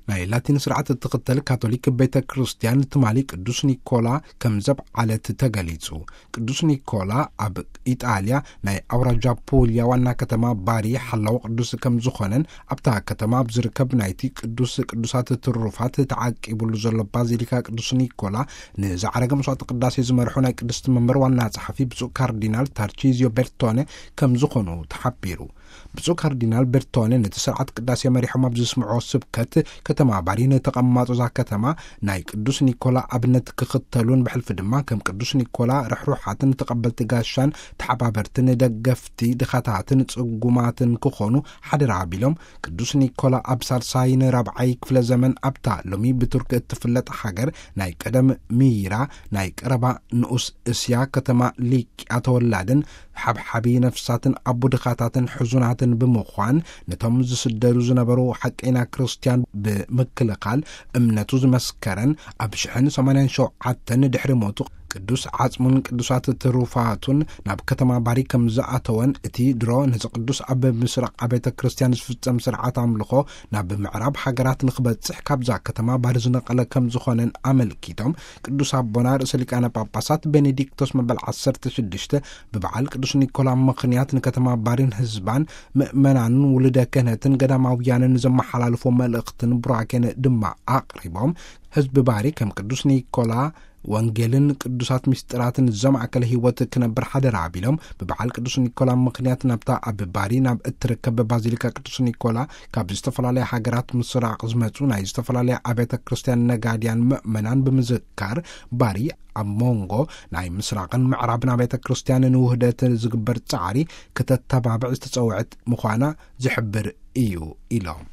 ናይ ላቲን ስርዓት እትኽተል ካቶሊክ ቤተ ክርስቲያን ትማሊ ቅዱስ ኒኮላ ከም ዘብዓለት ተገሊጹ። ቅዱስ ኒኮላ ኣብ ኢጣልያ ናይ ኣውራጃ ፑልያ ዋና ከተማ ባሪ ሓላው ቅዱስ ከም ዝኾነን፣ ኣብታ ከተማ ኣብ ዝርከብ ናይቲ ቅዱስ ቅዱሳት ትሩፋት ተዓቂቡሉ ዘሎ ባዚሊካ ቅዱስ ኒኮላ ንዝዓረገ መስዋዕተ ቅዳሴ ዝመርሑ ናይ ቅድስቲ መንበር ዋና ጸሓፊ ብፁዕ ካርዲናል ታርቺዚዮ ቤርቶነ ከም ዝኾኑ ተሓቢሩ። ብፁዕ ካርዲናል ቤርቶነ ነቲ ስርዓት ቅዳሴ መሪሖም ኣብ ዘስምዕዎ ስብከት፣ ከተማ ባሪ ንተቐማጦ እዛ ከተማ ናይ ቅዱስ ኒኮላ ኣብነት ክኽተሉን፣ ብሕልፊ ድማ ከም ቅዱስ ኒኮላ ርሕሩሓትን ተቐበልቲ ጋሻን ተሓባበርትን ደገፍቲ ድኻታትን ጽጉማትን ክኾኑ ሓደራ ኣቢሎም፣ ቅዱስ ኒኮላ ኣብ ሳልሳይን ራብዓይ ክፍለ ዘመን ኣብታ ሎሚ ብቱርክ እትፍለጥ ሃገር ናይ ቀደም ሚይራ፣ ናይ ቀረባ ንኡስ እስያ ከተማ ሊቅያ ተወላድን ሓብሓቢ ነፍሳትን ኣቡ ድኻታትን ሕዙናትን ብምዃን፣ ነቶም ዝስደዱ ዝነበሩ ሓቀይና ክርስትያን ብምክልኻል እምነቱ ዝመስከረን፣ ኣብ ሽሕን ሰማንያን ሸውዓተን ድሕሪ ሞቱ ቅዱስ ዓጽሙን ቅዱሳት ትሩፋቱን ናብ ከተማ ባሪ ከም ዝኣተወን፣ እቲ ድሮ ነዚ ቅዱስ ኣብ ምስራቕ ኣብያተ ክርስትያን ዝፍጸም ስርዓት ኣምልኾ ናብ ምዕራብ ሃገራት ንኽበጽሕ ካብዛ ከተማ ባሪ ዝነቐለ ከም ዝኾነን ኣመልኪቶም፣ ቅዱስ ኣቦና ርእሰ ሊቃነ ጳጳሳት ቤኔዲክቶስ መበል ዓሰርተ ሽዱሽተ ብበዓል ቅዱስ ኒኮላ ምኽንያት ንከተማ ባሪን ህዝባን ምእመናንን ውሉደ ክህነትን ገዳማውያንን ዘመሓላልፎ መልእኽትን ቡራኬን ድማ ኣቕሪቦም፣ ህዝቢ ባሪ ከም ቅዱስ ኒኮላ ወንጌልን ቅዱሳት ምስጢራትን ዘማእከለ ህይወት ክነብር ሓደራ ኣቢሎም፣ ብበዓል ቅዱስ ኒኮላ ምኽንያት ናብታ ኣብ ባሪ ናብ እትርከብ ባዚሊካ ቅዱስ ኒኮላ ካብ ዝተፈላለያ ሃገራት ምስራቕ ዝመጹ ናይ ዝተፈላለያ ኣብያተ ክርስትያን ነጋድያን ምእመናን ብምዝካር፣ ባሪ ኣብ መንጎ ናይ ምስራቕን ምዕራብን ኣብያተ ክርስትያን ንውህደት ዝግበር ጻዕሪ ክተተባብዕ ዝተጸውዐት ምዃና ዝሕብር እዩ ኢሎም።